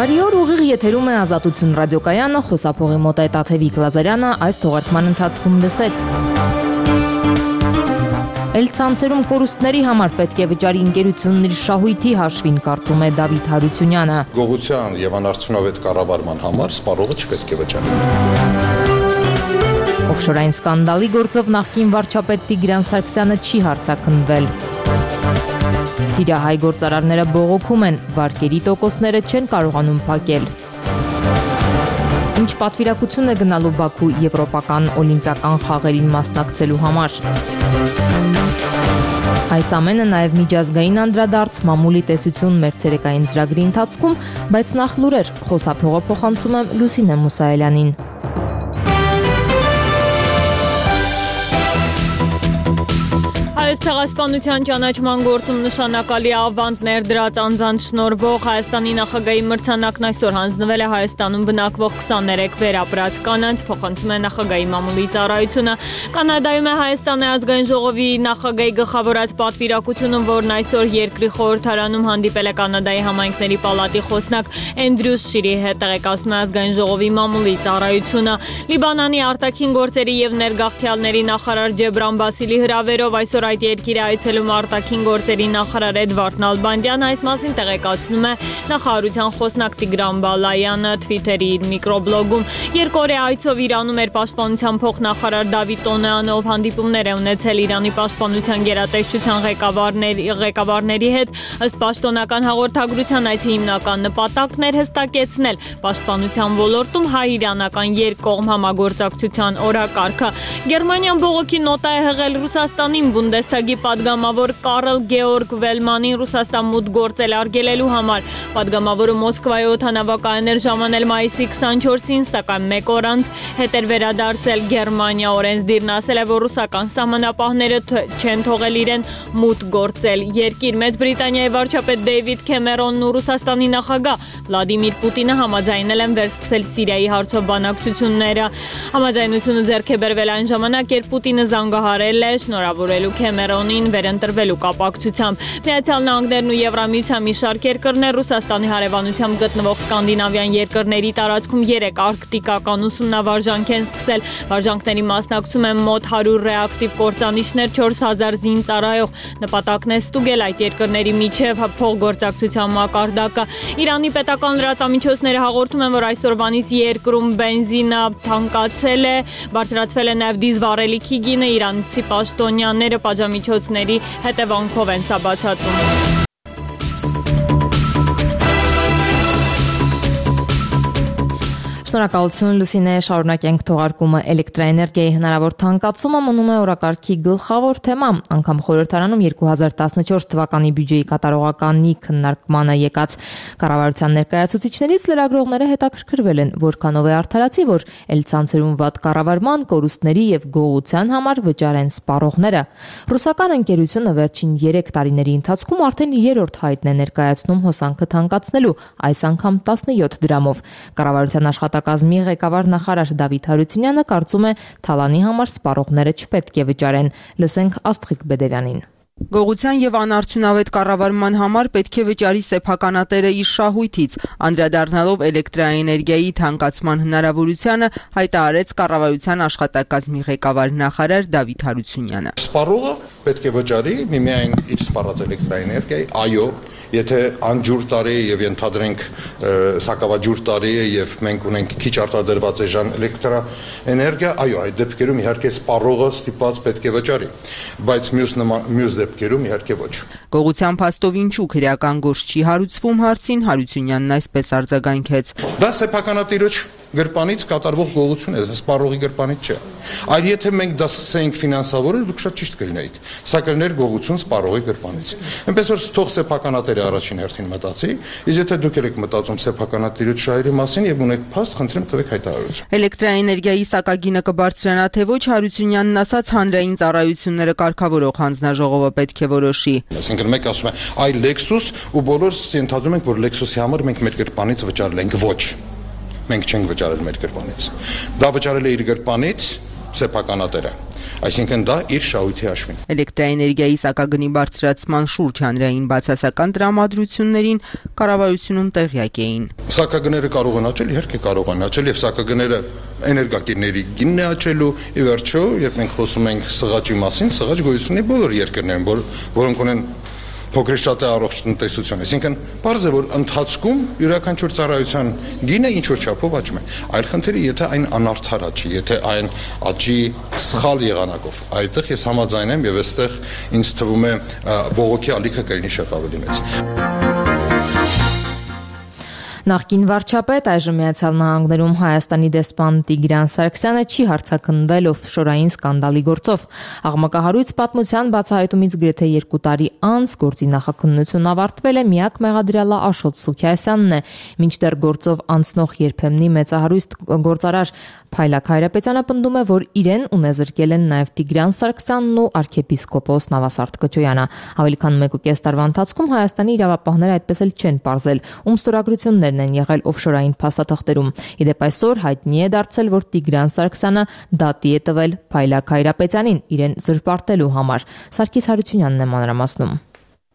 Բարի օր, ուղիղ եթերում է Ազատություն ռադիոկայանը, խոսափողի մոտ է Տաթևիկ Լազարյանը, այս թողարկման ընթացքում լսեք։ Էլցանցերում կորուստների համար պետք է վճարի ընկերությունն իր շահույթի հաշվին, կարծում է Դավիթ Հարությունյանը։ Գողության եւ անարդյունավետ կառավարման համար սպառողը չպետք է վճարի։ Օֆշորային սկանդալի գործով նախկին վարչապետ Տիգրան Սարգսյանը չի հարձակնվել։ Սիրիահայ գործարարները բողոքում են, վարկերի տոկոսները չեն կարողանում փակել։ Ինչ պատվիրակություն է գնալու Բաքու եվրոպական օլիմպիական խաղերին մասնակցելու համար։ Այս ամենը նաև միջազգային անդրադարձ մամուլի տեսություն մեր ցերեկային ծրագրի ընթացքում, բայց նախ լուրեր, խոսափողը փոխանցում եմ Լուսինե Մուսայելյանին։ Հայոց ցեղասպանության ճանաչման գործում նշանակալի ավանդ ներդրած անձանց շնորհվող Հայաստանի նախագահի մրցանակն այսօր հանձնվել է Հայաստանում բնակվող 23 վերապրած կանանց, փոխանցում է նախագահի մամուլի ծառայությունը։ Կանադայում է Հայաստանի ազգային ժողովի նախագահի գլխավորած պատվիրակությունը, որն այսօր երկրի խորհրդարանում հանդիպել է Կանադայի համայնքների պալատի խոսնակ Էնդրյուս Շիրի հետ, տեղեկացնում է ազգային ժողովի մամուլի ծառայությունը։ Լիբանանի արտաքին գործերի եւ ներգաղթյալների նախարար Ջեբրան Բասիլի հրավերով այսօր այդ երկիրը այցելում արտաքին գործերի նախարար Էդվարդ Նալբանդյանը, այս մասին տեղեկացնում է նախարարության խոսնակ Տիգրան Բալայանը Twitter-ի իր միկրոբլոգում։ Երկօրյա այցով Իրանում էր պաշտպանության փոխնախարար Դավիթ Տոնեանով, հանդիպումներ է ունեցել Իրանի պաշտպանության գերատեսչության ղեկավարների հետ։ Ըստ պաշտոնական հաղորդագրության այցի հիմնական նպատակն էր հստակեցնել պաշտպանության ոլորտում հայ-իրանական երկկողմ համագործակցության օրակարգը։ Գերմանիան բողոքի նոտա է հղել Ռուսաստանին Բունդեսթագի падգամավոր Կարլ Գեորգ Վելմանին Ռուսաստան մուտք գործել արգելելու համար։ Падգամավորը Մոսկվայի օդանավակայան էր ժամանել մայիսի 24-ին, սակայն մեկ օր անց հետ էր վերադարձել Գերմանիա։ Օրենսդիրն ասել է, որ ռուսական սահմանապահները չեն թողել իրեն մուտք գործել երկիր։ Մեծ Բրիտանիայի վարչապետ Դեյվիդ Քեմերոնն ու Ռուսաստանի նախագահ Վլադիմիր Պուտինը համաձայնել են վերսկսել Սիրիայի հարցով բանակցությունները։ Համաձայնությունը ձեռք է բերվել այն ժամանակ, երբ Պուտինը զանգահարել է շնորհավորելու Քեմերոնին վերընտրվելու կապակցությամբ։ Միացյալ Նահանգներն ու Եվրամիության մի շարք երկրներ Ռուսաստանի հարևանությամբ գտնվող սկանդինավյան երկրների տարածքում 3 արկտիկական ուսումնավարժանք են սկսել։ Վարժանքների մասնակցում են մոտ 100 ռեակտիվ կործանիչներ, 4000 զինծառայող։ Նպատակն է ստուգել այդ երկրների միջև փոխգործակցության մակարդակը։ Իրանի պետական լրատվամիջոցները հաղորդում են, որ այսօրվանից երկրում բենզինը թանկացել է, բարձրացվել է նաև դիզել վառելիքի գինը, իրանցի պաշտոնյաները պատժամիջոցների հետևանքով են սա բացատրում։ Շնորհակալություն Լուսինե, շարունակենք թողարկումը։ Էլեկտրաէներգիայի հնարավոր թանկացումը մնում է օրակարգի գլխավոր թեմա։ Անգամ խորհրդարանում 2014 թվականի բյուջեի կատարողականի քննարկմանը եկած կառավարության ներկայացուցիչներից լրագրողները հետաքրքրվել են, որքանով է արդարացի, որ էլցանցերում վատ կառավարման, կորուստների եւ գողության համար վճարեն սպառողները։ Ռուսական ընկերությունը վերջին 3 տարիների ընթացքում արդեն 3-րդ հայտն է ներկայացնում հոսանքը թանկացնելու, այս անգամ 17 դրամով։ Կառավարության աշխատակազմի ղեկավար նախարար Դավիթ Հարությունյանը կարծում է, թալանի համար սպառողները չպետք է վճարեն։ Լսենք Աստղիկ Բեդևյանին։ Գողության եւ անարդյունավետ կառավարման համար պետք է վճարի սեփականատերը իր շահույթից, անդրադառնալով էլեկտրաէներգիայի թանկացման հնարավորությանը, հայտարարեց կառավարության աշխատակազմի ղեկավար նախարար Դավիթ Հարությունյանը։ Սպառողը պետք է վճարի միմիայն իր սպառած էլեկտրաէներգիայի, այո, եթե անջուր տարի է եւ ենթադրենք սակավաջուր տարի է եւ մենք ունենք քիչ արտադրված էժան էլեկտրաէներգիա, այո, այդ դեպքերում իհարկե սպառողը ստիպված պետք է վճարի, բայց մյուս դեպքերում իհարկե ոչ։ Գողության փաստով ինչու քրեական գործ չի հարուցվում հարցին Հարությունյանն այսպես արձագանքեց. Դա սեփականատիրոջ գրպանից կատարվող գողություն է, սպառողի գրպանից չէ։ Այլ եթե մենք դա սկսեինք ֆինանսավորել, դուք շատ ճիշտ կլինեիք։ Սա կլիներ գողություն սպառողի գրպանից։ Այնպես որ թող սեփականատերը առաջին հերթին մտածի, իսկ եթե դուք եք մտածում սեփականատիրոջ շահերի մասին եւ ունեք փաստ, խնդրեմ տվեք հայտարարություն։ Էլեկտրաէներգիայի սակագինը կբարձրանա թե ոչ, Հարությունյանն ասաց, հանրային ծառայությունները կարգավորող հանձնաժողովը պետք է որոշի։ Այսինքն մեկ ասում է, այ Lexus ու բոլորս ենթադրում ենք, որ Lexus-ի համար մենք մեր գրպանից վճարել ենք, ոչ։ Մենք չենք վճարել մեր գրպանից։ Դա վճարել է իր գրպանից սեփականատերը։ Այսինքն դա իր շահույթի հաշվին։ Էլեկտրաէներգիայի սակագնի բարձրացման շուրջ հանրային բացասական տրամադրություններին կառավարությունում տեղյակ էին։ Սակագները կարող են աճել, իհարկե կարող են աճել, եւ սակագները էներգակիրների գինն է աճելու, ի վերջո, երբ մենք խոսում ենք սղաճի մասին, սղաճ գոյություն ունի բոլոր երկրներում, որոնք ունեն փոքր շատ է առողջ տնտեսություն, այսինքն պարզ է, որ ընթացքում յուրաքանչյուր ծառայության գինը ինչ որ չափով աճում է։ Այլ խնդիրը, եթե այն անարդար աճի, եթե այն աճի սխալ եղանակով, այդտեղ ես համաձայն եմ եւ այստեղ ինձ թվում է բողոքի ալիքը կլինի շատ ավելի մեծ։ Նախկին վարչապետ, այժմ Միացյալ Նահանգներում Հայաստանի դեսպան Տիգրան Սարգսյանը չի հարձակնվել օֆշորային սկանդալի գործով։ Աղմկահարույց պատմության բացահայտումից գրեթե 2 տարի անց գործի նախաքննությունն ավարտվել է, միակ մեղադրյալը Աշոտ Սուքիասյանն է, մինչդեռ գործով անցնող երբեմնի մեծահարույց գործարար Փայլակ Հայրապետյանը պնդում է, որ իրեն ունեզրկել են նաև Տիգրան Սարգսյանն ու arczepiskopos Նավասարդ Կոչոյանը։ Ավելի քան 1.5 տարվա ընթացքում Հայաստանի իրավապահները այդպես էլ չեն պարզել, ում ստորագրություններն են եղել օֆշորային փաստաթղթերում։ Իդեպ այսօր հայտնի է դարձել, որ Տիգրան Սարգսյանը դատի է տվել Փայլակ Հայրապետյանին իրեն զրպարտելու համար։ Սարգիս Հարությունյանն է մանրամասնում։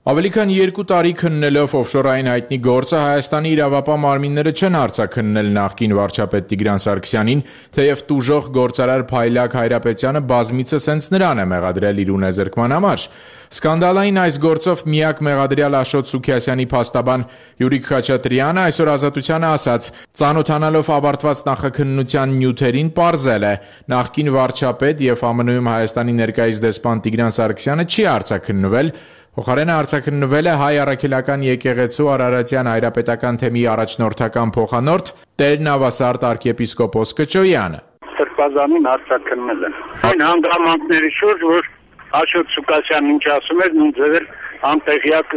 Ավելի քան 2 տարի քննելով օֆշորային հայտնի գործը Հայաստանի իրավապահ մարմինները չեն արձակննել նախկին վարչապետ Տիգրան Սարգսյանին, թեև տուժող գործարար Փայլակ Հայրապետյանը բազմիցս հենց նրան է մեղադրել իր ունեզրկման համար։ Սկանդալային այս գործով միակ մեղադրյալ Աշոտ Սուքիասյանի փաստաբան Յուրիկ Խաչատրյանը այսօր Ազատությանը ասաց. «Ծանոթանալով ավարտված նախաքննության նյութերին պարզել է, նախկին վարչապետ եւ ԱՄՆ-ում Հայաստանի ներկայիս դեսպան Տիգրան Սարգսյանը չի արձակնվել, փոխարենը արձակնվել է Հայ առաքելական եկեղեցու Արարատյան հայրապետական թեմի առաջնորդական փոխանորդ Տեր Նավասարդ arczepiskopos Կոչոյանը»։ Սրբազանին արձակնվել են։ Այն հանգամանքների շուրջ, որ Աշոտ Սուքիասյանն ինչ ասում էր, նույն ձևեր անտեղյակ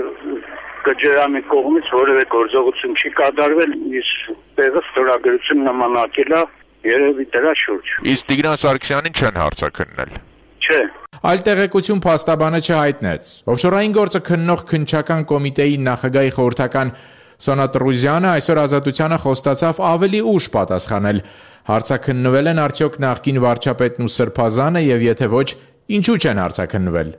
Կոչոյանի կողմից որևէ գործողություն չի կատարվել, իսկ տեղը ստորագրություն նմանակել է երևի դրա շուրջ։ Իսկ Տիգրան Սարգսյանին չեն արձակնել։ Չէ։ Այլ տեղեկություն փաստաբանը չհայտնեց։ Օֆշորային գործը քննող քննչական կոմիտեի նախագահի խորհրդական Սոնա Տրուզյանը այսօր Ազատությանը խոստացավ ավելի ուշ պատասխանել։ Հարցաքննվել են արդյոք նախկին վարչապետն ու Սրբազանը եւ եթե ոչ, ինչու չեն հարցաքննվել։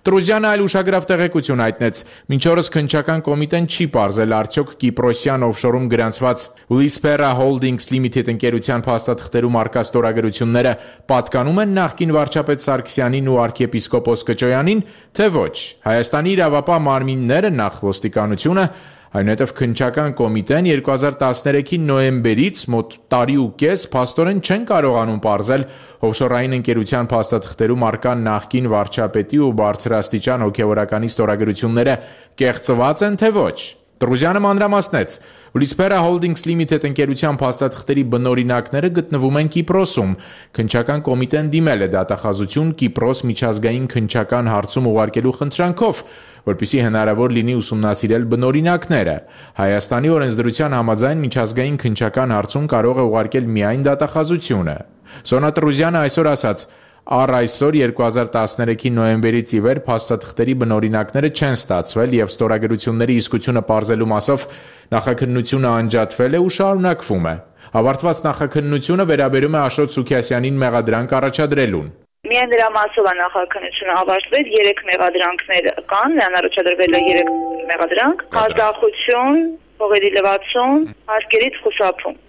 Տրուզյանը այլ ուշագրավ տեղեկություն հայտնեց. մինչ օրս քննչական կոմիտեն չի պարզել արդյոք Կիպրոսյան օֆշորում գրանցված Lispera Holdings Limited ընկերության փաստաթղթերում արկա ստորագրությունները պատկանում են նախկին վարչապետ Սարգսյանին ու arczepiskopos Կոչոյանին, թե ոչ։ Հայաստանի իրավապահ մարմինները նախ ոստիկանությունը, այնուհետև քննչական կոմիտեն 2013-ի նոյեմբերից մոտ տարի ու կես փաստորեն չեն կարողանում պարզել օֆշորային ընկերության փաստաթղթերում արկա նախկին վարչապետի ու բարձրաստիճան հոգևորականի ստորագրությունները կեղծված են, թե ոչ։ Տրուզյանը մանրամասնեց. Lispera Holdings Limited ընկերության փաստաթղթերի բնօրինակները գտնվում են Կիպրոսում։ Քննչական կոմիտեն դիմել է դատախազություն Կիպրոս միջազգային քննչական հարցում ուղարկելու խնդրանքով, որպեսզի հնարավոր լինի ուսումնասիրել բնօրինակները։ Հայաստանի օրենսդրության համաձայն միջազգային քննչական հարցում կարող է ուղարկել միայն դատախազությունը։ Սոնա Տրուզյանը այսօր ասաց. Առ այսօր 2013-ի նոյեմբերից ի վեր փաստաթղթերի բնօրինակները չեն ստացվել եւ ստորագրությունների իսկությունը պարզելու մասով նախաքննությունը անջատվել է ու շարունակվում է։ Ավարտված նախաքննությունը վերաբերում է Աշոտ Սուքիասյանին մեղադրանք առաջադրելուն։ Միայն դրա մասով է նախաքննությունը ավարտվել, 3 մեղադրանքներ կան, նրան առաջադրվել է 3 մեղադրանք՝ ազդախություն, փողերի լվացում, հարկերից խուսափում։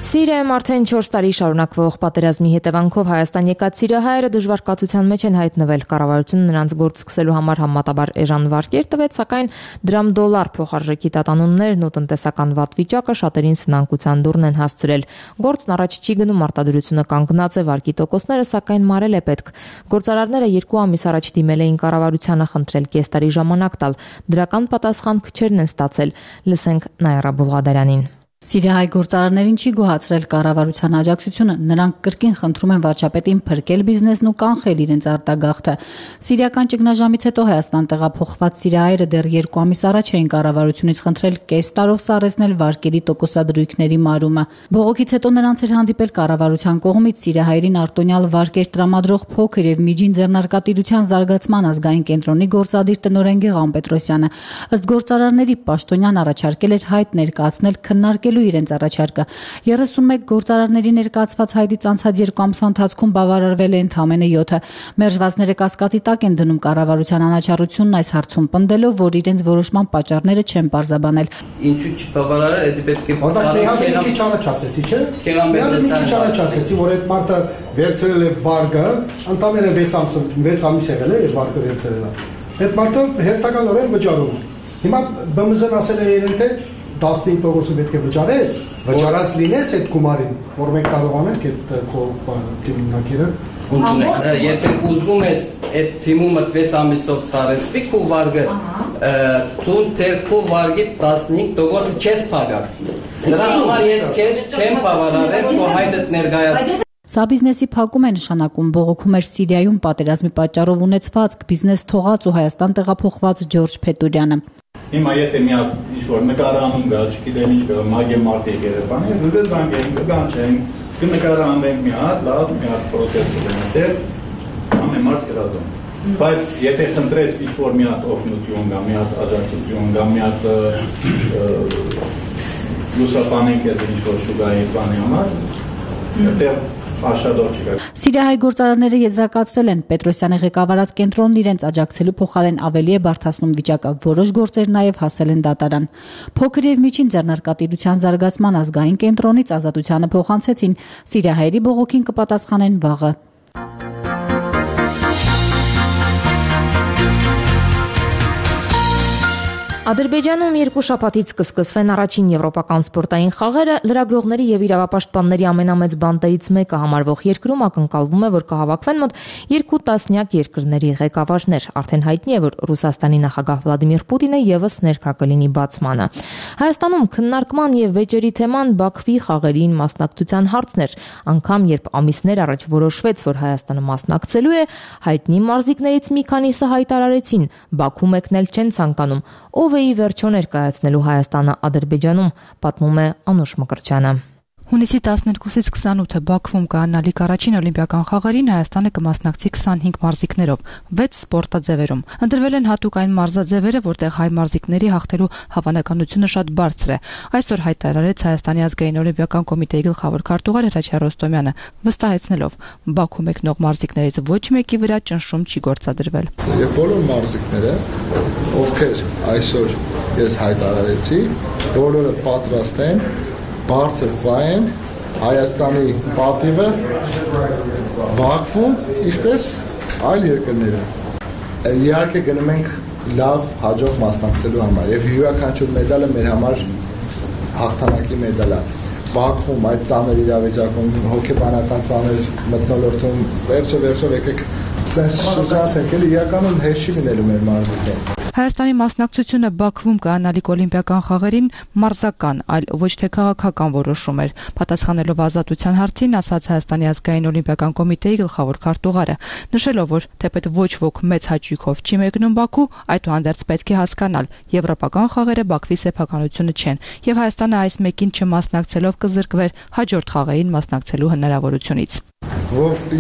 Սիրիայում արդեն 4 տարի շարունակվող պատերազմի հետևանքով Հայաստան եկած սիրիահայերը դժվար կացության մեջ են հայտնվել։ Կառավարությունը նրանց գործ սկսելու համար համատաբար էժան վարկեր տվեց, սակայն դրամ-դոլար փոխարժեքի տատանումներն ու տնտեսական վատ վիճակը շատերին սնանկության դուռն են հասցրել։ Գործն առաջ չի գնում, արտադրությունը կանգնած է, վարկի տոկոսները սակայն մարել է պետք։ Գործարարները 2 ամիս առաջ դիմել էին կառավարությանը խնդրել կես տարի ժամանակ տալ։ Դրական պատասխան քչերն են ստացել։ Լսենք Նայրա Բուլղադարյանին։ Սիրիահայ գործարարներին չի գոհացրել կառավարության աջակցությունը, նրանք կրկին խնդրում են վարչապետին փրկել բիզնեսն ու կանխել իրենց արտագաղթը։ Սիրիական ճգնաժամից հետո Հայաստան տեղափոխված սիրիահայերը դեռ 2 ամիս առաջ էին կառավարությունից խնդրել կես տարով սառեցնել վարկերի տոկոսադրույքների մարումը։ Բողոքից հետո նրանց էր հանդիպել կառավարության կողմից սիրիահայերին արտոնյալ վարկեր տրամադրող փոքր եւ միջին ձեռնարկատիրության զարգացման ազգային կենտրոնի գործադիր տնօրեն Գեղամ Պետրոսյանը։ Ըստ գործարարների պաշտոնյան առաջարկել էր հայտ ներկայացնել քննարկել քննարկելու իրենց առաջարկը։ 31 գործարարների ներկայացված հայտից անցած 2 ամսվա ընթացքում բավարարվել է ընդամենը 7-ը։ Մերժվածները կասկածի տակ են դնում կառավարության անաչառությունն այս հարցում, պնդելով, որ իրենց որոշման պատճառները չեն պարզաբանել։ Ինչու չբավարարել, դա պետք է մի քիչ առաջացեցի, չէ՞։ Մի քիչ առաջացեցի, որ այդ մարդը վերցրել է վարկը, ընդամենը 6 ամիս եղել է այդ վարկը վերցրել է։ Այդ մարդը հերթականորեն վճարում է։ Հիմա ԲՄԶ-ն ասել է իրեն թե 15%-ը պետք է վճարես, վճարած լինես այդ գումարին, որ մենք կարողանանք այդ թիմունակիրը Եթե ուզում ես այդ թիմումը 6 ամիսով սարեցվի քո վարկը, ցուն թե քո վարկի 15%-ը չես փակացի։ Դրա համար ես քեզ չեմ բավարարել քո հայտդ ներկայացրել։ Սա բիզնեսի փակում է նշանակում, բողոքում էր Սիրիայում պատերազմի պատճառով ունեցվածք բիզնես թողած ու Հայաստան տեղափոխված Ջորջ Փետուրյանը։ Հիմա եթե մի հատ ինչ-որ նկարանում գա, չգիտեմ ինչ գա, մագե մարտի երևանի, դու զանգեն, կգանչեն, կնկարանենք մի հատ, լավ, մի հատ պրոցես կդենատեր, ամեն մարդ կրատում։ Բայց եթե խնդրես ինչ-որ մի հատ օգնություն գա, մի հատ աջակցություն գա, մի հատ լուսապանենք ես ինչ-որ շուգայի բանի համար, այդտեղ Սիրիահայ գործարարները եզրակացրել են Պետրոսյանի ղեկավարած կենտրոնն իրենց աջակցելու փոխարեն ավելի է բարդացնում վիճակը, որոշ գործեր նաև հասել են դատարան։ Փոքր եւ միջին ձեռնարկատիրության զարգացման ազգային կենտրոնից ազատությանը փոխանցեցին, սիրիահայերի բողոքին կպատասխանեն վաղը։ Ադրբեջանում 2 շաբաթից կսկսվեն առաջին եվրոպական սպորտային խաղերը, լրագրողների եւ իրավապաշտպանների ամենամեծ բանտերից մեկը համարվող երկրում ակնկալվում է, որ կհավաքվեն մոտ 2 տասնյակ երկրների ղեկավարներ։ Արդեն հայտնի է, որ Ռուսաստանի նախագահ Վլադիմիր Պուտինը եւս ներկա կլինի բացմանը։ Հայաստանում քննարկման եւ վեճերի թեման Բաքվի խաղերին մասնակցության հարցն էր, անգամ երբ ամիսներ առաջ որոշվեց, որ Հայաստանը մասնակցելու է, հայտնի մարզիկներից մի քանիսը հայտարարեցին, Բաքու մեկնել չեն ցանկանում։ Ով է ի վերջո ներկայացնելու Հայաստանը Ադրբեջանում, պատմում է Անուշ Մկրտչյանը։ Հունիսի 12-ից 28-ը Բաքվում կայանալիք առաջին օլիմպիական խաղերին Հայաստանը կմասնակցի 25 մարզիկներով, 6 սպորտաձևերում։ Ընտրվել են հատուկ այն մարզաձևերը, որտեղ հայ մարզիկների հաղթելու հավանականությունը շատ բարձր է։ Այսօր հայտարարեց Հայաստանի ազգային օլիմպիական կոմիտեի գլխավոր քարտուղար Հրաչյա Ռոստոմյանը, վստահեցնելով, Բաքու մեկնող մարզիկներից ոչ մեկի վրա ճնշում չի գործադրվել։ Եվ բոլոր մարզիկները, ովքեր այսօր ես հայտարարեցի, բոլորը պատրաստ են բարձր վայեն Հայաստանի պատիվը Բաքվում, ինչպես այլ երկրներում։ Իհարկե գնում ենք լավ հաջող մասնակցելու համար եւ յուրաքանչյուր մեդալը մեր համար հաղթանակի մեդալ է։ Բաքվում այդ ծանր իրավիճակում հոգեբանական ծանր մթնոլորտում վերջը եկեք շրջացենք, էլի իրականում հեշտ չի լինելու մեր մարզիկներին։ Հայաստանի մասնակցությունը Բաքվում կայանալիք օլիմպիական խաղերին մարզական, այլ ոչ թե քաղաքական որոշում էր։ Պատասխանելով ազատության հարցին, ասաց Հայաստանի ազգային օլիմպիական կոմիտեի գլխավոր քարտուղարը, նշելով, որ թեպետ ոչ ոք մեծ հաճույքով չի մեկնում Բաքու, այդուհանդերձ պետք է հասկանալ, եվրոպական խաղերը Բաքվի սեփականությունը չեն, եւ Հայաստանը այս մեկին չմասնակցելով կզրկվեր հաջորդ խաղերին մասնակցելու հնարավորությունից։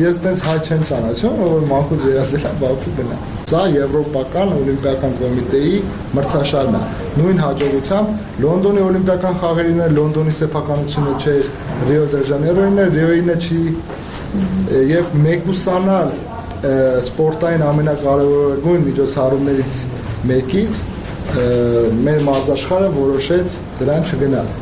Ես դες հայ չեմ ճանաչում, որ մանկուց երազել եմ Բաքու գնա։ Սա եվրոպական օլիմպիական կոմիտեի մրցաշարն է։ Նույն հաջողությամբ Լոնդոնի օլիմպիական խաղերին Լոնդոնի սեփականությունը չէր, Ռիո դե Ժանեյրոյին Ռիոյինը չի, եւ մեկուսանալ սպորտային ամենակարևորագույն միջոցառումներից մեկից մեր մարզաշխարհը որոշեց դրան չգնալ։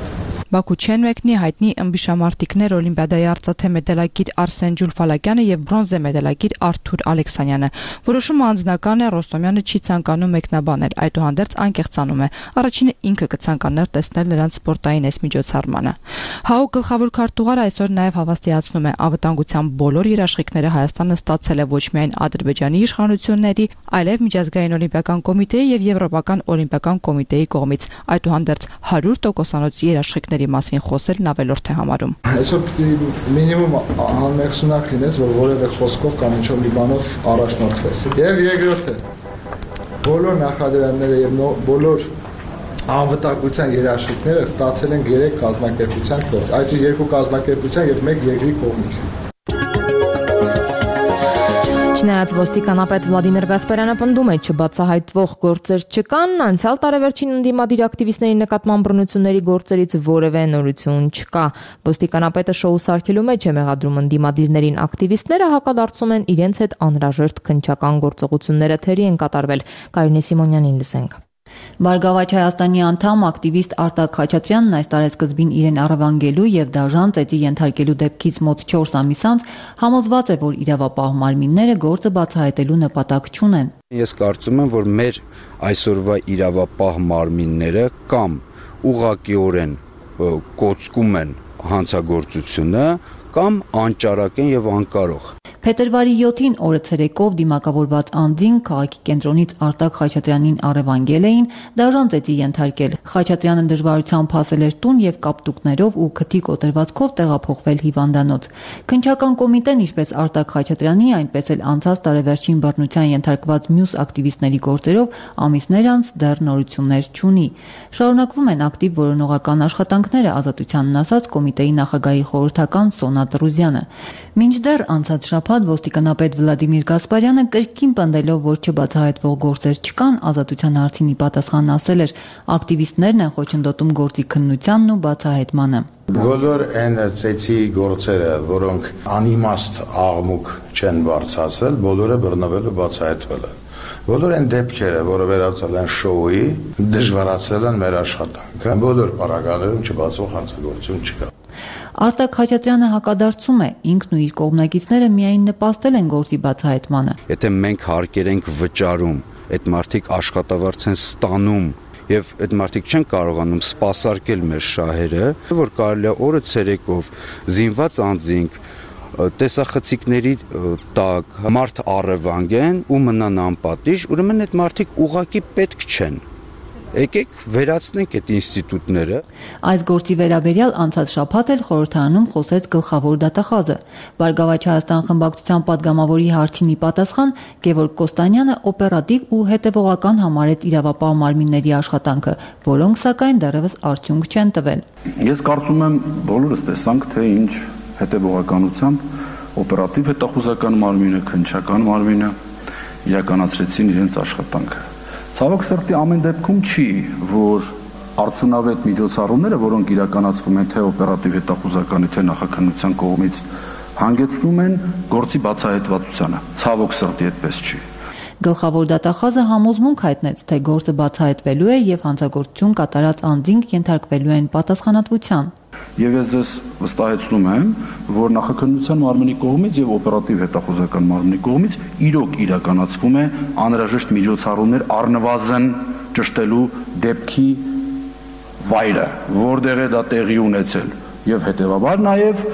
Բաքու չեն մեկնի հայտնի ըմբիշամարտիկներ օլիմպիադայի արծաթե մեդալակիր Արսեն Ջուլֆալակյանը եւ բրոնզե մեդալակիր Արթուր Ալեքսանյանը։ Որոշումը անձնական է, Ռոստոմյանը չի ցանկանում մեկնաբանել, այդուհանդերձ անկեղծանում է։ Առաջինը ինքը կցանկանար տեսնել նրանց սպորտային այս միջոցառմանը։ ՀԱՕ գլխավոր քարտուղարը այսօր նաեւ հավաստիացնում է, անվտանգության բոլոր երաշխիքները Հայաստանը ստացել է ոչ միայն Ադրբեջանի իշխանությունների, այլև միջազգային օլիմպիական կոմիտեի եւ Եվրոպական օլիմպիական կոմիտեի կողմից, այդուհանդերձ 100% երաշխիքների մասին խոսելն ավելորդ է համարում։ Այսօր պիտի մինիմում անմեղսունակ լինես, որ որևէ խոսքով կամ ինչ-որ մի բանով առաջնորդվես։ Եվ երկրորդը, բոլոր նախադրյալները եւ բոլոր անվտանգության երաշխիքները ստացել են 3 կազմակերպության կողմից, այսինքն 2 կազմակերպության եւ 1 երկրի կողմից։ Չնայած ոստիկանապետ Վլադիմիր Գասպարյանը պնդում է չբացահայտվող գործեր չկան, անցյալ տարեվերջին ընդդիմադիր ակտիվիստների նկատմամբ բռնությունների գործերից որևէ նորություն չկա։ Ոստիկանապետը շոու սարքելու մեջ է մեղադրում ընդդիմադիրներին, ակտիվիստները հակադարձում են իրենց հետ անհրաժեշտ քննչական գործողությունները թերի են կատարվել։ Կարինե Սիմոնյանին լսենք։ Բարգավաճ Հայաստանի անդամ ակտիվիստ Արտակ Խաչատրյանն այս տարեսկզբին իրեն առևանգելու եւ դաժան ծեծի ենթարկելու դեպքից մոտ 4 ամիս անց համոզված է, որ իրավապահ մարմինները գործը բացահայտելու նպատակ չունեն։ Ես կարծում եմ, որ մեր այսօրվա իրավապահ մարմինները կամ ուղղակիորեն կոծկում են հանցագործությունը, կամ անճարակ են եւ անկարող։ Փետրվարի 7-ին օրը ցերեկով դիմակավորված անձին քաղաքի կենտրոնից Արտակ Խաչատրյանին առևանգել էին, դաժան ծեծի ենթարկել։ Խաչատրյանը դժվարությամբ հասել էր տուն եւ կապտուկներով ու քթի կոտրվածքով տեղափոխվել հիվանդանոց։ Քննչական կոմիտեն, ինչպես Արտակ Խաչատրյանի, այնպես էլ անցած տարեվերջին բռնության ենթարկված մյուս ակտիվիստների գործերով ամիսներ անց դեռ նորություններ չունի։ Շարունակվում են ակտիվ որոնողական աշխատանքները, Ազատությանն ասած կոմիտեի նախագահի խորհրդական Սոնա Տրուզյանը։ Մինչդեռ անցած շաբաթ ոստիկանապետ Վլադիմիր Գասպարյանը կրկին պնդելով, որ չբացահայտվող գործեր չկան, Ազատության հարցին ի պատասխան ասել էր, ակտիվիստներն են խոչընդոտում գործի քննությանն ու բացահայտմանը։ Բոլոր այն ծեծի գործերը, որոնք անիմաստ աղմուկ չեն բարձրացել, բոլորը բռնվել ու բացահայտվել են։ Բոլոր այն դեպքերը, որը վերածել են շոուի, դժվարացրել են մեր աշխատանքը։ Բոլոր պարագաներում չբացվող հանցագործություն չկա։ Արտակ Խաչատրյանը հակադարձում է, ինքն ու իր կողմնակիցները միայն նպաստել են գործի բացահայտմանը։ Եթե մենք հարկեր ենք վճարում, այդ մարդիկ աշխատավարձ են ստանում եւ այդ մարդիկ չեն կարողանում սպասարկել մեր շահերը, որ կարելի է օրը ցերեկով զինված անձինք տեսախցիկների տակ մարդ առևանգեն ու մնան անպատիժ, ուրեմն այդ մարդիկ ուղղակի պետք չեն։ Եկեք վերացնենք այդ ինստիտուտները։ Այս գործի վերաբերյալ անցած շաբաթ էլ խորհրդարանում խոսեց գլխավոր դատախազը։ Բարգավաճ Հայաստան խմբակցության падգամավորի հարցին ի պատասխան Գևորգ Կոստանյանը օպերատիվ ու հետևողական համարեց իրավապահ մարմինների աշխատանքը, որոնք սակայն դեռևս արդյունք չեն տվել։ Ես կարծում եմ բոլորս տեսանք, թե ինչ հետևողականությամբ օպերատիվ հետախուզական մարմինը, քննչական մարմինը իրականացրեցին իրենց աշխատանքը։ Ցավոք սրտի ամեն դեպքում չի, որ արդյունավետ միջոցառումները, որոնք իրականացվում են թե օպերատիվ հետախուզականի, թե նախաքննության կողմից, հանգեցնում են գործի բացահայտվածությանը։ Ցավոք սրտի այդպես չի։ Գլխավոր դատախազը համոզմունք հայտնեց, թե գործը բացահայտվելու է եւ հանցագործություն կատարած անձինք ենթարկվելու են պատասխանատվության։ Եվ ես ձեզ վստահեցնում եմ, որ նախաքննության մարմնի կողմից եւ օպերատիվ հետախուզական մարմնի կողմից իրոք իրականացվում է անհրաժեշտ միջոցառումներ առնվազն ճշտելու դեպքի վայրը, որտեղ է դա տեղի ունեցել, եւ հետեւաբար նաեւ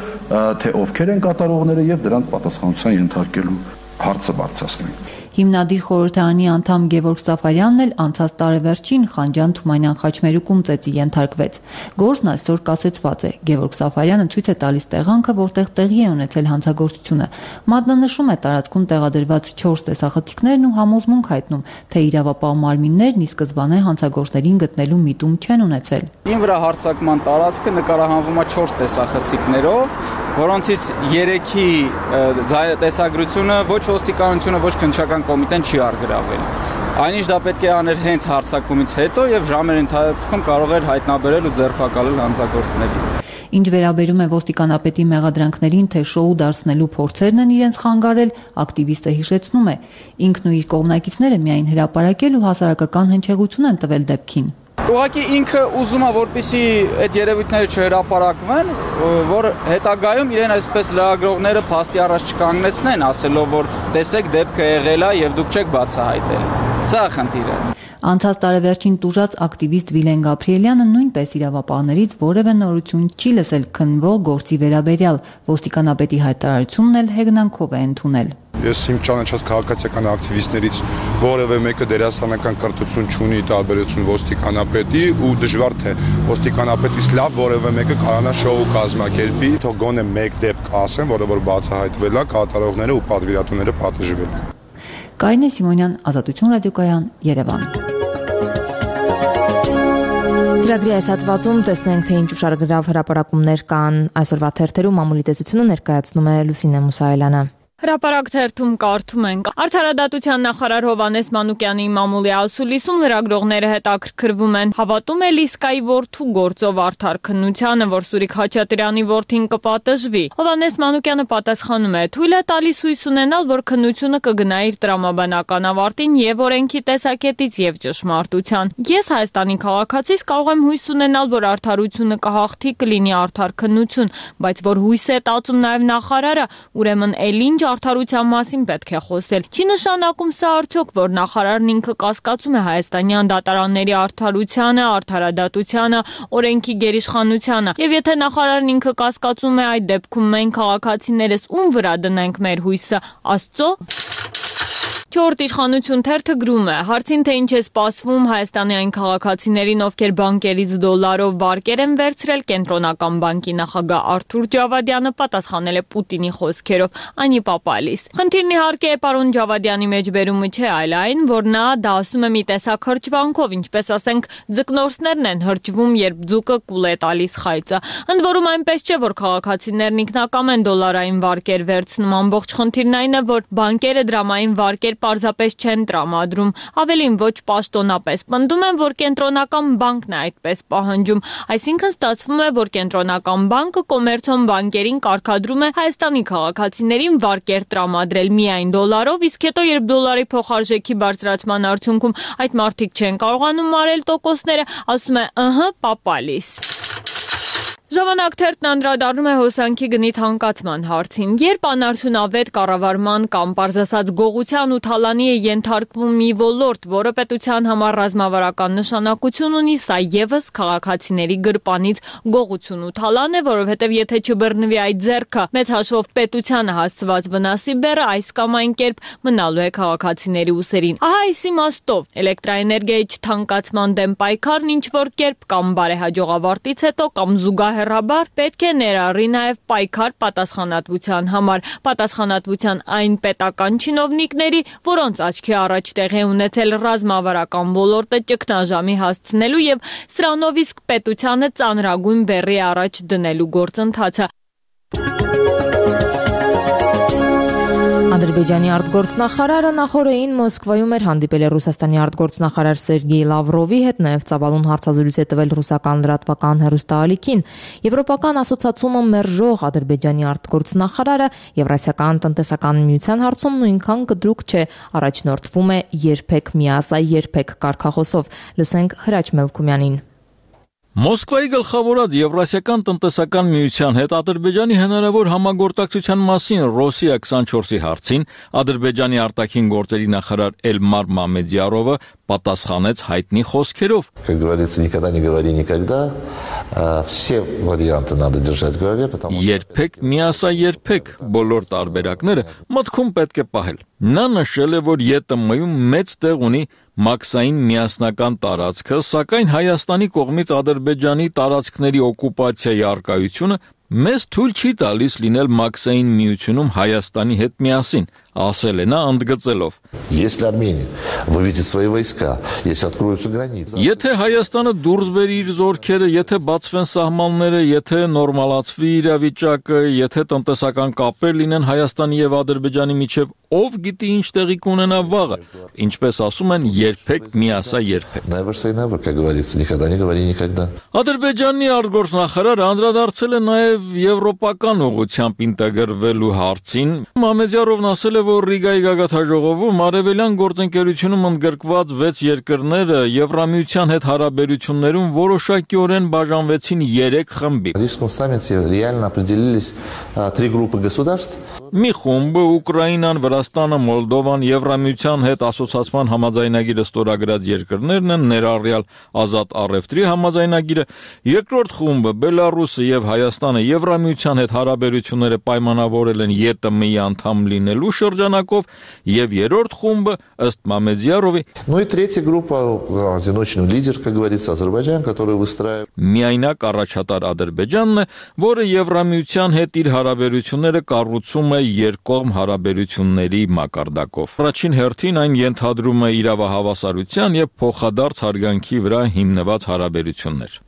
թե ովքեր են կատարողները եւ դրանց պատասխանատվության ենթարկելու հարցը բարձրացնենք։ Հիմնադիր խորհրդարանի անդամ Գևորգ Սաֆարյանն էլ անցած տարեվերջին Խանջան-Թումանյան խաչմերուկում ծեծի ենթարկվեց։ Գործն այսօր կասեցված է։ Գևորգ Սաֆարյանը ցույց է տալիս տեղանքը, որտեղ տեղի է ունեցել հանցագործությունը։ Մատնանշում է տարածքում տեղադրված 4 տեսախցիկներն ու համոզմունք հայտնում, թե իրավապահ մարմիններն ի սկզբանե հանցագործներին գտնելու միտում չեն ունեցել։ Ին վրա հարձակման տարածքը նկարահանվում է 4 տեսախցիկներով, որոնցից 3-ի տեսագրությունը ոչ ոստիկանությունը, ոչ քննչական կոմիտեն չի արգրավել։ Այնինչ դա պետք է աներ հենց հարձակումից հետո եւ ժամեր ընթացքում կարող էր հայտնաբերել ու ձերբակալել հանցագործներին։ Ինչ վերաբերում է ոստիկանապետի մեղադրանքներին, թե շոու դարձնելու փորձերն են իրենց խանգարել, ակտիվիստը հիշեցնում է, ինքն ու իր կողմնակիցները միայն հրապարակել ու հասարակական հնչեղություն են տվել դեպքին։ Ուղղակի ինքը ուզում է, որպեսզի այդ երևույթները չհրապարակվեն, որ հետագայում իրեն այսպես լրագրողները փաստի առաջ չկանգնեցնեն, ասելով, որ տեսեք դեպքը եղել է եւ դուք չեք բացահայտել։ Սա է խնդիրը։ Անցած տարեվերջին տուժած ակտիվիստ Վիլեն Գաբրիելյանը նույնպես իրավապահներից որևէ նորություն չի լսել քննվող գործի վերաբերյալ, ոստիկանապետի հայտարարությունն էլ հեգնանքով է ընդունել։ Ես իմ ճանաչած քաղաքացիական ակտիվիստներից որևէ մեկը դերասանական կրթություն չունի տարբերություն ոստիկանապետի ու դժվար թե ոստիկանապետից լավ որևէ մեկը կարողանա շոու կազմակերպի, թող գոնե մեկ դեպք ասեն, որը որ բացահայտվել է, կատարողները ու պատվիրատուները պատժվել։ Կարինե Սիմոնյան, Ազատություն ռադիոկայան, Երևան։ Ծրագրի այս հատվածում տեսնենք, թե ինչ ուշագրավ հրապարակումներ կան այսօրվա թերթերում, մամուլի տեսությունը ներկայացնում է Լուսինե Մուսայելյանը։ Հրապարակ թերթում կարդում ենք. Արդարադատության նախարար Հովհաննես Մանուկյանի մամուլի ասուլիսում լրագրողները հետաքրքրվում են. հավատում է Լիսկայի որդու գործով արդար քննությանը, որ Սուրիկ Խաչատրյանի որդին կպատժվի։ Հովհաննես Մանուկյանը պատասխանում է. թույլ է տալիս հույս ունենալ, որ քննությունը կգնա իր տրամաբանական ավարտին եւ օրենքի տեսակետից եւ ճշմարտության։ Ես Հայաստանի քաղաքացիս կարող եմ հույս ունենալ, որ արդարությունը կհաղթի, կլինի արդար քննություն, բայց որ հույս է տածում նաեւ նախարարը, ուրեմն ինչ արդարության մասին պետք է խոսել։ Չի նշանակում սա արդյոք, որ նախարարն ինքը կասկածում է հայաստանյան դատարանների արդարությանը, արդարադատությանը, օրենքի գերիշխանությանը։ Եվ եթե նախարարն ինքը կասկածում է, այդ դեպքում մենք քաղաքացիներս ում վրա դնենք մեր հույսը, Աստծո։ Չորրորդ իշխանություն թերթը գրում է. հարցին թե ինչ է սպասվում Հայաստանի այն քաղաքացիներին, ովքեր բանկերից դոլարով վարկեր են վերցրել, Կենտրոնական բանկի նախագահ Արթուր Ջավադյանը պատասխանել է Պուտինի խոսքերով. «Անի պապալիս»։ Խնդիրն իհարկե պարոն Ջավադյանի մեջբերումը չէ, այլ այն, որ նա դա ասում է մի տեսակ հրճվանքով, ինչպես ասենք ձկնորսներն են հրճվում, երբ ձուկը կուլ է տալիս խայծը։ Ընդ որում այնպես չէ, որ քաղաքացիներն ինքնակամ են դոլարային վարկեր վերցնում, ամբողջ խնդիրն այն է, որ բանկերը դրամային վարկեր պարզապես չեն տրամադրում, ավելին ոչ պաշտոնապես պնդում են, որ Կենտրոնական բանկն է այդպես պահանջում, այսինքն ստացվում է, որ Կենտրոնական բանկը կոմերցիոն բանկերին կարգադրում է Հայաստանի քաղաքացիներին վարկեր տրամադրել միայն դոլարով, իսկ հետո երբ դոլարի փոխարժեքի բարձրացման արդյունքում այդ մարդիկ չեն կարողանում մարել տոկոսները, ասում է պապալիս։ Ժամանակ թերթն անդրադառնում է հոսանքի գնի թանկացման հարցին. երբ անարդյունավետ կառավարման կամ պարզասած գողության ու թալանի է ենթարկվում մի ոլորտ, որը պետության համար ռազմավարական նշանակություն ունի, սա եւս քաղաքացիների գրպանից գողություն ու թալան է, որովհետեւ եթե չբռնվի այդ ձեռքը, մեծ հաշվով պետությանը հասցված վնասի բեռը այս կամ այն կերպ մնալու է քաղաքացիների ուսերին։ Ահա այս իմաստով էլեկտրաէներգիայի չթանկացման դեմ պայքարն ինչ որ կերպ կամ բարեհաջող ավարտից հետո կամ զուգահեռ պետք է ներառի նաև պայքար պատասխանատվության համար, պատասխանատվության այն պետական չինովնիկների, որոնց աչքի առաջ տեղի ունեցել ռազմավարական ոլորտը ճգնաժամի հասցնելու եւ սրանով իսկ պետությանը ծանրագույն բեռի առաջ դնելու գործընթացը։ Ադրբեջանի արտգործնախարարը նախորդին Մոսկվայում էր հանդիպել է Ռուսաստանի արտգործնախարար Սերգեյ Լավրովի հետ, նաև ծավալուն հարցազրույց է տվել ռուսական լրատվական հեռուստաալիքին։ Եվրոպական ասոցիացիումը մերժող Ադրբեջանի արտգործնախարարը Եվրասիական տնտեսական միության հարցում նույնքան կտրուկ չէ, առաջնորդվում է երբեք միասա երբեք կարգախոսով։ Լսենք Հրաչ Մելքումյանին։ Մոսկվայի գլխավորած Եվրասիական տնտեսական միության հետ Ադրբեջանի հնարավոր համագործակցության մասին Ռոսիա 24-ի հարցին Ադրբեջանի արտաքին գործերի նախարար Էլմար Մամեդյարովը պատասխանեց հայտնի խոսքերով. Как говорится, никогда не говори никогда. Все варианты надо держать в голове, потому что երբեք միասա երբեք բոլոր տարբերակները մտքում պետք է պահել։ Նա նշել է, որ ԵՏՄ-ում մեծ տեղ ունի մաքսային միասնական տարածքը, սակայն Հայաստանի կողմից Ադրբեջանի տարածքների օկուպացիայի արկայությունը մեզ թույլ չի տալիս լինել մաքսային միությունում Հայաստանի հետ միասին, ասել է նա ընդգծելով. Если Армения выведет свои войска, если откроются границы. Եթե Հայաստանը դուրս բերի իր զորքերը, եթե բացվեն սահմանները, եթե նորմալացվի իրավիճակը, եթե տնտեսական կապեր լինեն Հայաստանի եւ Ադրբեջանի միջև, ով գիտի ինչ տեղի կունենա վաղը, ինչպես ասում են, երբեք միասա երբեք։ Never say never, как говорится, никогда не говори никогда. Ադրբեջանի արտգործնախարարը անդրադարձել է նաեւ եվրոպական ուղղությամբ ինտեգրվելու հարցին։ Մամեդյարովն ասել է, որ Ռիգայի գագաթաժողովում արևելյան գործընկերությունում ընդգրկված 6 երկրները Եվրամիության հետ հարաբերություններում որոշակիորեն բաժանվեցին 3 խմբի։ В Рижском саммите реально определились 3 группы государств. Մի խումբը Ուկրաինան, Վրաստանը, Մոլդովան, Եվրամիության հետ ասոցիացման համաձայնագիրը ստորագրած երկրներն են, ներառյալ ազատ առևտրի համաձայնագիրը, երկրորդ խումբը Բելարուսը եւ Հայաստանը Եվրամիության հետ հարաբերությունները պայմանավորել են ԵՏՄ-ի անդամ լինելու շրջանակով եւ երրորդ խումբը ըստ Մամեդյարովի Ну и третья группа, одиночный лидер, как говорится, Азербайджан, который выстраивает միայնակ առաջատար Ադրբեջանն է, որը Եվրամիության հետ իր հարաբերությունները կառուցում է երկկողմ հարաբերությունների մակարդակով։ Առաջին հերթին այն ենթադրում է իրավահավասարության եւ փոխադարձ հարգանքի վրա հիմնված հարաբերություններ։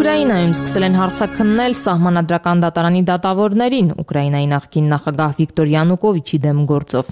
Ուկրաինայում սկսել են հարցաքննել սահմանադրական դատարանի դատավորներին Ուկրաինայի նախկին նախագահ Վիկտոր Յանուկովիչի դեմ գործով։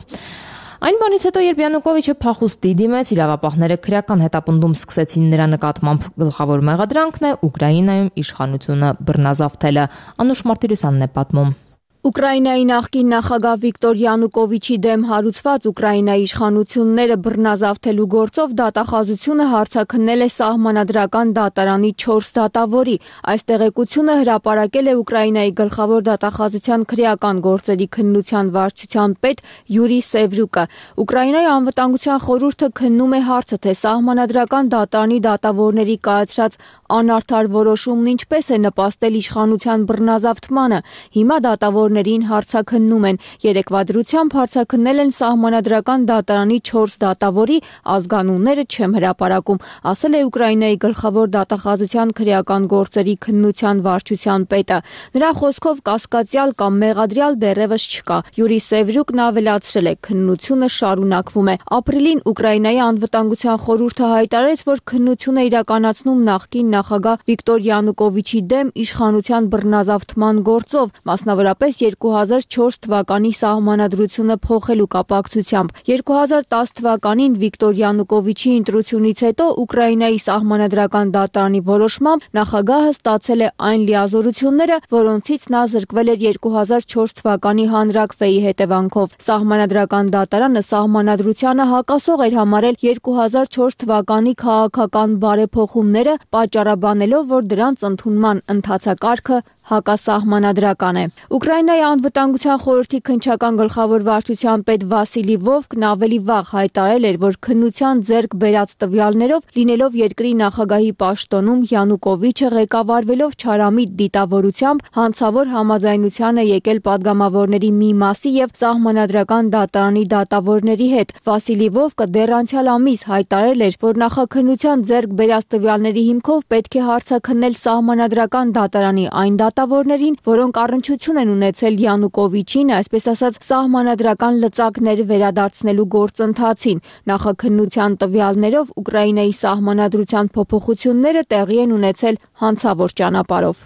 Այն բանից հետո, երբ Յանուկովիչը փախուստի դիմեց, իրավապահները քրեական հետապնդում սկսեցին նրա նկատմամբ, գլխավոր մեղադրանքն է Ուկրաինայում իշխանությունը բռնազավթելը։ Անուշ Մարտիրոսյանն է պատմում։ Ուկրաինայի նախկին նախագահ Վիկտոր Յանուկովիչի դեմ հարուցված Ուկրաինայի իշխանությունները բռնազավթելու գործով դատախազությունը հարցաքննել է սահմանադրական դատարանի 4 դատավորի։ Այս տեղեկությունը հրապարակել է Ուկրաինայի գլխավոր դատախազության քրեական գործերի քննության վարչության պետ Յուրի Սևրուկը։ Ուկրաինայի անվտանգության խորհուրդը քննում է հարցը, թե սահմանադրական դատարանի դատավորների կայացրած անարդար որոշումն ինչպես է նպաստել իշխանության բռնազավթմանը։ Հիմա դատավորներին հարցաքննում են։ Երեկվա դրությամբ հարցաքննել են սահմանադրական դատարանի 4 դատավորի, ազգանունները չեմ հրապարակում, ասել է Ուկրաինայի գլխավոր դատախազության քրեական գործերի քննության վարչության պետը։ Նրա խոսքով կասկածյալ կամ մեղադրյալ դեռևս չկա։ Յուրի Սևրուկն ավելացրել է, քննությունը շարունակվում է։ Ապրիլին Ուկրաինայի անվտանգության խորհուրդը հայտարարեց, որ քննություն է իրականացնում նախկին նախագահ Վիկտոր Յանուկովիչի դեմ իշխանության բռնազավթման գործով, մասնավորապես 2004 թվականի սահմանադրությունը փոխելու կապակցությամբ։ 2010 թվականին Վիկտոր Յանուկովիչի ընտրությունից հետո Ուկրաինայի սահմանադրական դատարանի որոշմամբ նախագահը ստացել է այն լիազորությունները, որոնցից նա զրկվել էր 2004 թվականի հանրաքվեի հետևանքով։ Սահմանադրական դատարանը սահմանադրությանը հակասող էր համարել 2004 թվականի քաղաքական բարեփոխումները, պատճառաբանելով, որ դրանց ընդունման ընթացակարգը հակասահմանադրական է։ Ուկրաինայի անվտանգության խորհրդի քննչական գլխավոր վարչության պետ Վասիլի Վովկն ավելի վաղ հայտարարել էր, որ քննության ձեռք բերած տվյալներով, լինելով երկրի նախագահի պաշտոնում, Յանուկովիչը ղեկավարվելով չարամիտ դիտավորությամբ հանցավոր համաձայնության է եկել падգամավորների մի մասի եւ սահմանադրական դատարանի դատավորների հետ։ Վասիլի Վովկը դեռ անցյալ ամիս հայտարարել էր, որ նախաքննության ձեռք բերած տվյալների հիմքով պետք է հարցաքննել սահմանադրական դատարանի այն դատավորներին, որոնք առնչություն են ունեցել Յանուկովիչին, այսպես ասած, սահմանադրական լծակներ վերադարձնելու գործընթացին։ Նախաքննության տվյալներով Ուկրաինայի սահմանադրության փոփոխությունները տեղի են ունեցել հանցավոր ճանապարհով։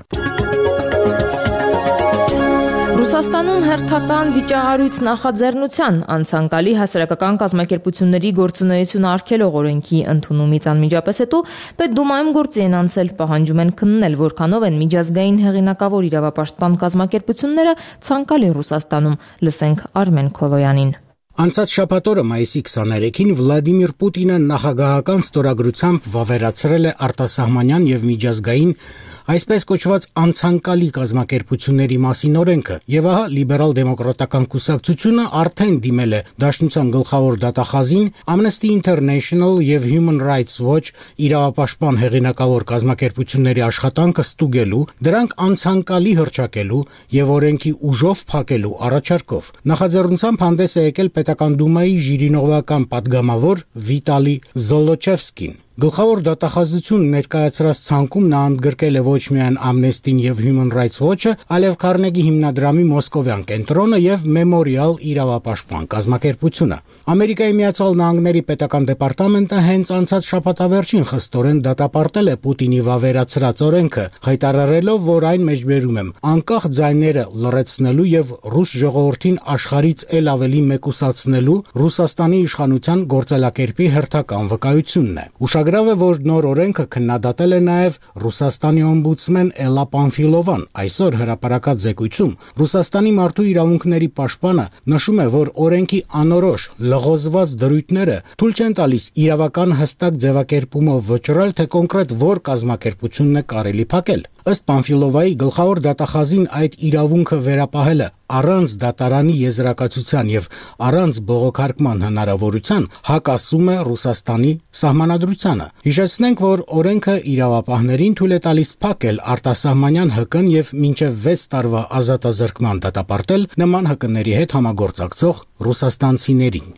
Ռուսաստանում հերթական վիճահարույց նախաձեռնության անցանկալի հասարակական կազմակերպությունների գործունեությունը արգելող օրենքի ընդունումից անմիջապես հետո Պետդումայում գործի են անցել, պահանջում են քննել, որքանով են միջազգային հեղինակավոր իրավապաշտպան կազմակերպությունները ցանկալի Ռուսաստանում։ Լսենք Արմեն Քոլոյանին։ Անցած շաբաթօրը մայիսի 23-ին Վլադիմիր Պուտինը նախագահական ստորագրությամբ վավերացրել է արտասահմանյան եւ միջազգային այսպես կոչված անցանկալի կազմակերպությունների մասին օրենքը, եւ ահա լիբերալ-դեմոկրատական կուսակցությունը արդեն դիմել է Դաշնության գլխավոր դատախազին Amnesty International եւ Human Rights Watch իրավապաշտպան հեղինակավոր կազմակերպությունների աշխատանքը ստուգելու, դրանք անցանկալի հռչակելու եւ օրենքի ուժով փակելու առաջարկով։ Նախաձեռնությամբ հանդես է եկել Պետական դումայի ժիրինովական падգամավոր Վիտալի Զոլոչևսկին։ Գլխավոր դատախազություն ներկայացրած ցանկում նա ընդգրկել է ոչ միայն Amnesty-ն եւ Human Rights Watch-ը, այլև Քարնեգի հիմնադրամի մոսկովյան կենտրոնը եւ Memorial իրավապաշտպան կազմակերպությունը։ Ամերիկայի Միացյալ Նահանգների պետական դեպարտամենտը հենց անցած շաբաթավերջին խստորեն դատապարտել է Պուտինի վավերացրած օրենքը, հայտարարելով, որ այն մեջբերում է անկախ ձայները լռեցնելու եւ ռուս ժողովրդին աշխարհից ել ավելի մեկուսացնելու Ռուսաստանի իշխանության գործելակերպի հերթական վկայությունն է։ Ուշագրավ է, որ նոր օրենքը քննադատել է նաև Ռուսաստանի օմբուդսմեն Էլա Պանֆիլովան։ Այսօր հրապարակած զեկույցում Ռուսաստանի մարդու իրավունքների պաշտպանը նշում է, որ օրենքի անորոշ լղոզված դրույթները թույլ չեն տալիս իրավական հստակ ձևակերպումով վճռել, թե կոնկրետ որ կազմակերպությունն է կարելի փակել։ Ըստ Պանֆիլովայի գլխավոր դատախազին այդ իրավունքը վերապահելը առանց դատարանի եզրակացության եւ առանց բողոքարկման հնարավորության հակասում է Ռուսաստանի սահմանադրությանը։ Հիշեցնենք, որ օրենքը իրավապահներին թույլ է տալիս փակել արտասահմանյան ՀԿ-ն եւ մինչեւ 6 տարվա ազատազրկման դատապարտել նման ՀԿ-ների հետ համագործակցող ռուսաստանցիներին։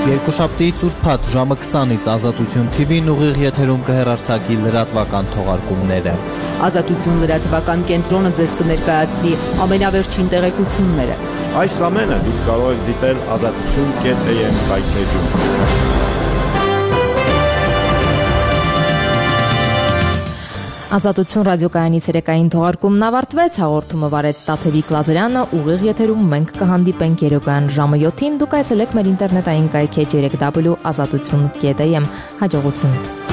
Երկուշաբթի ծուրփաթ ժամը 20-ից Ազատություն TV-ն ուղիղ եթերում կհեռարձակի լրատվական թողարկումները։ Ազատություն լրատվական կենտրոնը ձեզ կներկայացնի ամենավերջին տեղեկությունները։ Այս ամենը դուք կարող եք դիտել azatutun.am հայտնեջում։ Ազատություն ռադիոկայանի ցերեկային թողարկումն ավարտվեց, հաղորդումը վարեց Տաթևիկ Լազարյանը, ուղիղ եթերում մենք կհանդիպենք երեկոյան ժամը 7-ին, դուք այցելեք մեր ինտերնետային կայքի www.azatutun.am, հաջողություն։